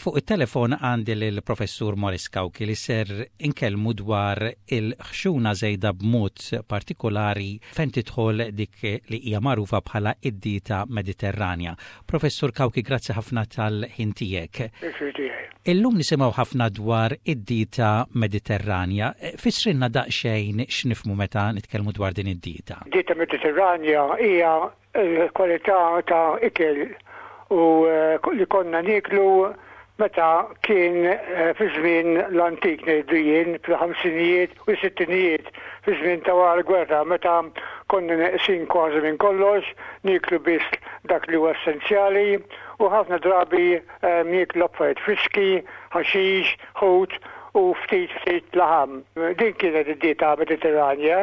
Fuq it-telefon għandi lill-Professur Maurice Cauchi li ser inkellmu dwar il-ħxuna żejda b'mod partikolari fejn tidħol dik li hija magħrufa bħala id-dieta Mediterranja. Professur Cauchi, grazzi ħafna tal-ħin tiegħek. Pjaċir tiegħi. Illum nisimgħu ħafna dwar id-dieta Mediterranja. Fissrilna daqsxejn x'nifhmu meta nitkellmu dwar din id-dieta. Dieta Mediterranja hija l-kwalità ta' ikel u li konna nieklu meta kien fi żmien l-antik ngħidu jien fil-ħamsinijiet u s-sittinijiet fi żmien ta' wara l-gwerra meta konna neqsin kważi minn kollox, nieklu biss dak li huwa essenzjali u ħafna drabi nieklu affarijiet friski, ħaxix, ħut u ftit ftit laħam. Din kienet id-dieta Mediterranja.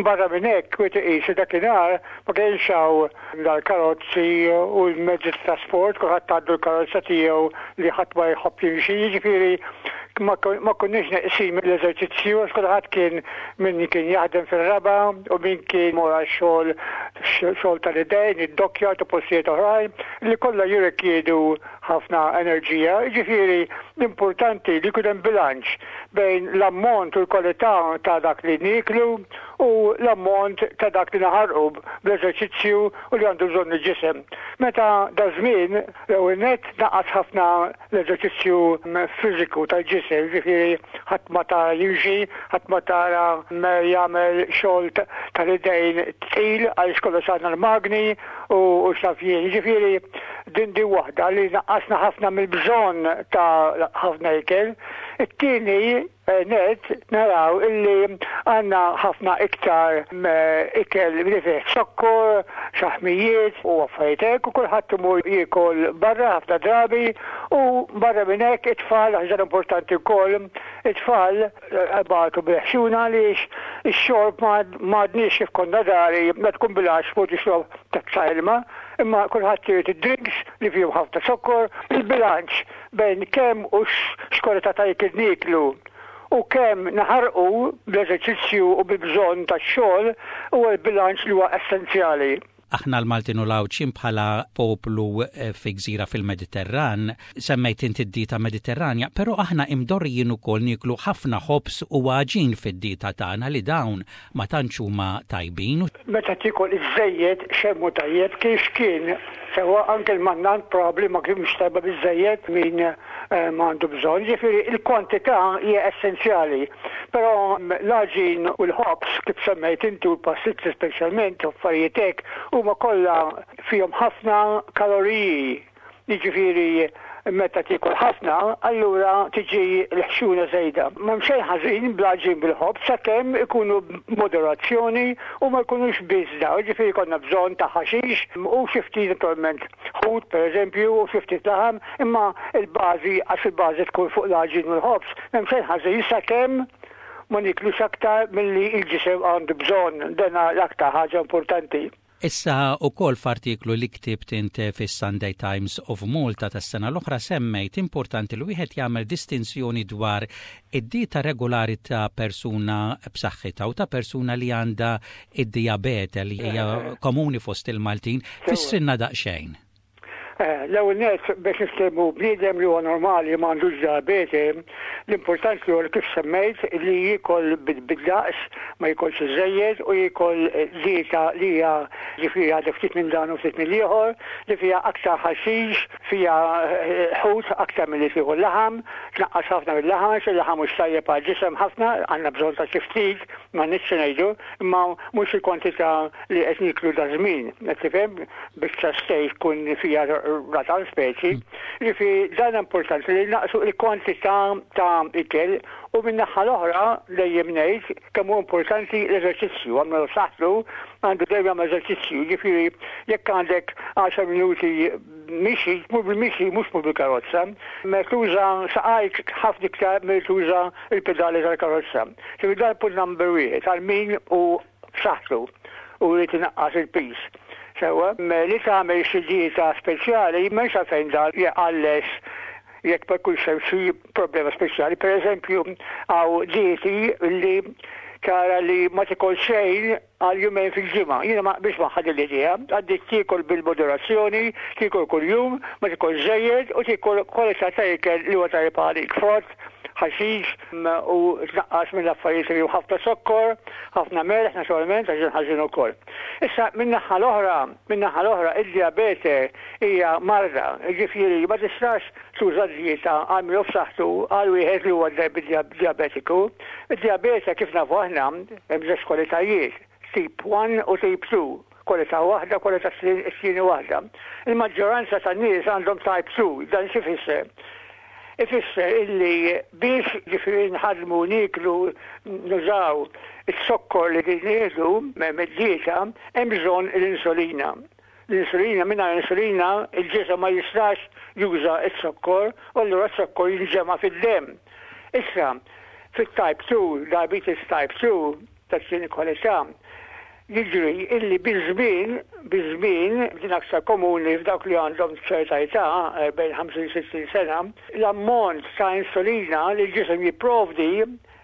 Barra minn hekk, wieħed iqis li dakinhar ma kienx hawn l-karozzi u l-mezzi ta' trasport, kulħadd għandu l-karozza tiegħu li ħadd ma jħobb jimxi, jiġifieri ma konniex neqsin mill-eżerċizzju għax kulħadd kien min kien jaħdem fir-raba' u min kien imur għax-xogħol xogħol tal-idejn, id-dockyard u postijiet oħrajn li kollha jirrikjedu ħafna enerġija, jiġifieri l-importanti li jkun hemm bilanċ bejn l-ammont u l-kwalità ta' dak li nieklu u l-ammont ta' dak li naħarqu bl-eżerċizzju u li għandu bżonn il-ġisem. Meta daż-żmien l-ewwel nett naqas ħafna l-eżerċizzju fiżiku tal-ġisem, jiġifieri ħadd ma tara jimxi, ħadd ma tara jagħmel xogħol tal-idejn tqil għaliex kollox għandna l-magni u x'naf jien. Jiġifieri din din waħda li naqqasna ħafna mill-bżonn ta' ħafna ikel. It-tieni eh, net naraw illi għandna ħafna iktar eh, ikel li fih zokkor, xaħmijiet u affarijiet hekk u kulħadd imur jiekol barra ħafna drabi u barra minn hekk it-tfal ħaġa importanti wkoll, it-tfal eh, bagħtu bil-ħxuna għaliex ix-xorb m'għadniex kif konna dari ma tkun bil-għax fuq tixrob tazza ilma, imma kulħadd irid id-drinks li fihom ħafna zokkor, il-bilanċ bejn kemm u x'kwalità ta' ikel nieklu u kemm naħarqu bl-eżerċizzju u bil-bżonn tax-xogħol huwa l-bilanċ li huwa essenzjali. Aħna l-Maltin u l-Għawdxin bħala poplu eh, fi gżira fil-Mediterran, semmejt inti d-dieta Mediterranja, però aħna imdorrijin ukoll nieklu ħafna ħobż u għaġin fid-dieta tagħna li dawn ma tantx huma tajbin. Meta tiekol iżżejjed xejn mhu tajjeb, kien x'kien, sewwa anke l-mannant probabbli ma kienx tajba biżżejjed min ma għandu bżonn. Jiġifieri l-kwantità hija essenzjali. Però l-għaġin u l-ħobż kif semmejt inti u l-pastizzi speċjalment u affarijiet hekk huma kollha fihom ħafna kaloriji. Jiġifieri meta tiekol ħafna, allura tiġi l-ħxuna żejda. M'hemm xejn ħażin bl-għaġin bil-ħobż sakemm ikunu b'moderazzjoni u ma jkunux biss dawn. Jiġifieri jkollna bżonn ta' ħaxix u xi ftit naturalment ħut pereżempju u xi ftit laħam, imma l-bażi għax il-bażi tkun fuq l-għaġin u l-ħobż, m'hemm xejn ħażin sakemm ma nieklux aktar milli l-ġisem għandu bżonn. Dan l-aktar ħaġa importanti. Issa ukoll f'artiklu li ktibt int fis-Sunday Times of Malta tas-sena l-oħra semmejt importanti li wieħed jagħmel distinzjoni dwar id-dieta regolari ta' persuna b'saħħitha u ta' persuna li għandha id-dijabete li hija komuni fost il-Maltin. Fissrilna daqsxejn. Eh, l-ewwel nett biex niftehmu bniedem li huwa normali ma għandux diabete, l-importanti huwa kif semmejt li jiekol bid-daqs, ma jikolx iżejjed u jiekol dieta li hija ġifieri għadha ftit minn dan u ftit mill-ieħor, li fiha aktar ħaxix, fiha eh, ħut aktar milli tieħu laħam, tnaqqas ħafna mill-laħam, għax il-laħam mhux tajjeb għall-ġisem ħafna, għandna bżonn ta' xi ftit, ma nix ngħidu, imma mhux il-kwantità li qed niklu da żmien, qed tifhem biċċa steak tkun fiha ratal speċi. Ġifieri dan importanti li naqsu l-kwantità ta' ikel u minn naħa l-oħra dejjem ngħid kemm hu importanti l-eżerċizzju, għamlu saħħtu għandu dejjem jagħmel eżerċizzju, ġifieri jekk għandek 10 minuti mixi, tmur bil-mixi mhux tmur bil-karozza, ma tuża saqajk ħafna iktar milli tuża l-pedali tal-karozza. Ġifieri dan punt number wieħed għal min hu b'saħħtu u jrid inaqqas il-piż. Sewwa, li tagħmel xi dieta speċjali m'hemmx għalfejn dan jqalles jekk ma jkunx hemm xi problema speċjali. Pereżempju, hawn dieti li tara li ma tikol xejn għal jumejn fil-ġimgħa. Jiena ma naqbilx magħha din l-idea. Għandek tiekol bil-moderazzjoni, tiekol kuljum, ma tikolx żejjed u tiekol kwalità ta' ikel li huwa tajjeb għalik, frott, ħaxix u tnaqqas mill-affarijiet li fihom ħafna zokkor, ħafna melħ naturalment għax dan ħażin ukoll. Issa min-naħa l-oħra, min-naħa l-oħra id-dijabete hija marda, jiġifieri ma tistax tuża dieta għal min hu f'saħħtu għal wieħed li huwa dijabetiku. Id-dijabete kif nafu aħna hemm żewġ kwalitajiet, tip 1 u tip 2, kwalità waħda, kwalità t-tieni waħda. Il-maġġoranza tan-nies għandhom type 2, dan x'ifisser? Ifisser illi biex ġifieri nħaddmu nieklu nużaw iz-zokkor li nieħdu mid-dieta hemm bżonn l-insulina. L-insulina, mingħajr insulina il-ġisem ma jistax juża z-zokkor u allura z-zokkor jinġema' fid-demm. Issa, fit-type 2, diabetes type 2, tat-tieni kwalità, jiġri illi biż-żmien, biż-żmien, din aktar komuni f'dawk li għandhom ċerta età, bejn 50 60 sena, l-ammont ta' insulina li l-ġisem jipprovdi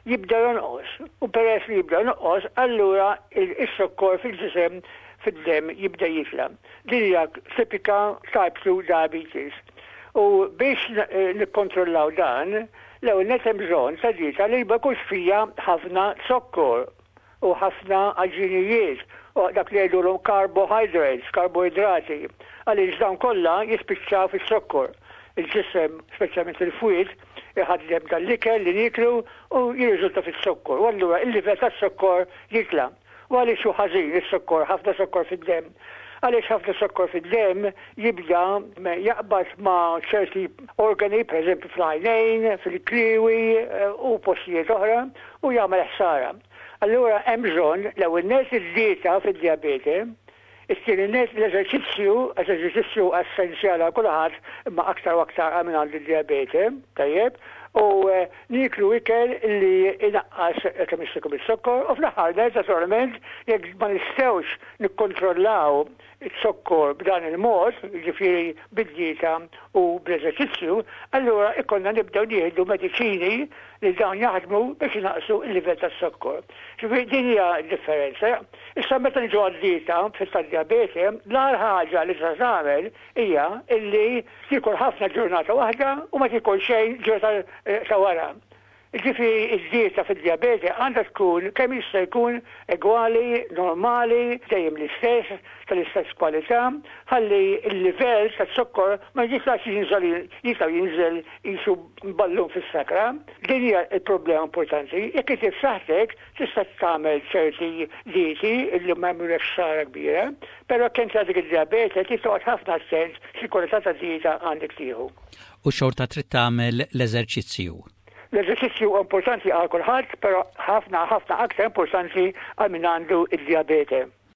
jibda jonqos u peress li jibda jonqos allura iz-zokkor fil-ġisem fid-demm jibda jitla'. Din hija tipika type 2 diabetes. U biex nikkontrollaw dan, l-ewwel nett hemm bżonn ta' dieta li ma jkunx fiha ħafna zokkor u ħafna għaġinijiet u dak li jgħidulhom carbohydrates, karboidrati, għaliex dawn kollha jispiċċaw fiz-zokkor. Il-ġisem, speċjalment il-fwied, iħaddem dan l-ikel li nieklu u jirriżulta fiz-zokkor u allura l-livell taz-zokkor jitla'. U għaliex hu ħażin iz-zokkor, ħafna zokkor fid-demm? Għaliex ħafna zokkor fid-demm jibda jaqbad ma' ċerti organi, pereżempju fl-għajnejn, fil-kliewi u postijiet oħra u jagħmel ħsara. Allura hemm bżonn l-ewwel nett id-dieta fid-dijabete, it-tieni nett l-eżerċizzju, għax l-eżerċizzju huwa essenzjali għal kulħadd imma aktar u aktar għal min għandu d-dijabete, tajjeb, u nieklu ikel li jnaqqas kemm jista' jkun iz-zokkor u fl-aħħar nett naturalment jekk ma nistgħux nikkontrollaw iz-zokkor b'dan il-mod, jiġifieri bid-dieta u bl-eżerċizzju, allura jkollna nibdew nieħdu mediċini li dawn jaħdmu biex inaqqsu l-livell taz-zokkor. Ġifieri din hija d-differenza. Issa meta niġu għad-dieta tad-dijabete, l-agħar ħaġa li tista' tagħmel hija illi tiekol ħafna ġurnata waħda u ma tiekol xejn ġurnata ta' wara. Jiġifieri d-dieta fid-dijabete għandha tkun kemm jista' jkun egwali, normali, dejjem l-istess, tal-istess kwalità, ħalli l-livell taz-zokkor ma jitlax jinżel jitla' u jinżel qisu ballun fis-sakra. Din hija l-problema importanti. Jekk inti f'saħħtek tista' tagħmel ċerti dieti li ma jagħmlulekx ħsara kbira, però jekk inti għandek id-dijabete trid toqgħod ħafna attent xi kwalità ta' dieta għandek tieħu. U xorta trid tagħmel l-eżerċizzju. L-eżerċizzju huwa importanti għal kulħadd, però ħafna ħafna aktar importanti għal min għandu d-dijabete.